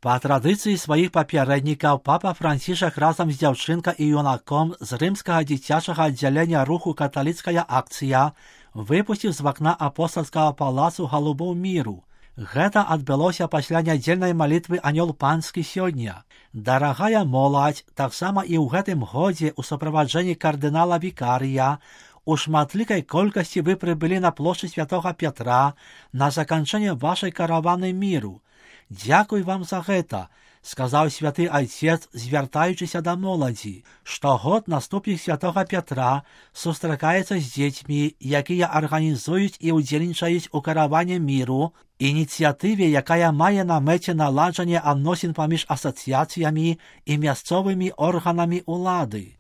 Па традыцыі сваіх папярэднікаў папа Францішак разам з дзяўчынкай і юнаком з рымскага дзіцячага аддзялення руху «Каталіцкая акцыя» выпусціў з вакна апостальскага палацу галубоў міру. Гэта адбылося пасля нядзельнай малітвы «Анёл панскі» сёння. Дарагая моладзь, таксама і ў гэтым годзе ў суправаджэнні кардынала Вікарыя, у шматлікай колькасці вы прыбылі на плошчу Святога Пятра на заканчэнне вашай караваны міру. Дзякуй вам за гэта, сказаў святы айцец, звяртаючыся да моладзі. Штогод наступнік Святога Пятра сустракаецца з дзецьмі, якія арганізуюць і ўдзельнічаюць у караване міру, ініцыятыве, якая мае на мэце наладжанне адносін паміж асацыяцыямі і мясцовымі органамі ўлады.